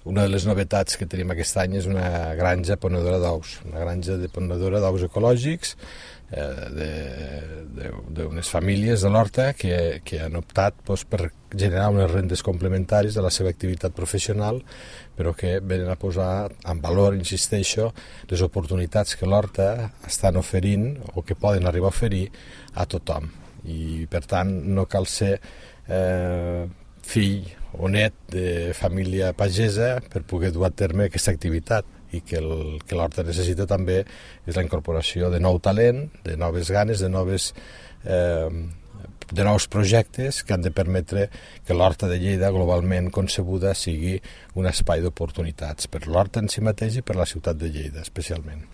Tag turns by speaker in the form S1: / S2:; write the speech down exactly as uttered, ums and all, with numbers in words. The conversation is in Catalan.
S1: una de les novetats que tenim aquest any és una granja ponedora d'ous, una granja de ponedora d'ous ecològics eh, d'unes famílies de l'Horta que, que han optat doncs, per generar unes rendes complementaris de la seva activitat professional, però que venen a posar en valor, insisteixo, les oportunitats que l'Horta estan oferint o que poden arribar a oferir a tothom. I per tant no cal ser eh, fill o net de família pagesa per poder dur a terme aquesta activitat, i que el que l'Horta necessita també és la incorporació de nou talent, de noves ganes, de noves eh, de nous projectes que han de permetre que l'Horta de Lleida globalment concebuda sigui un espai d'oportunitats per l'Horta en si mateix i per la ciutat de Lleida especialment.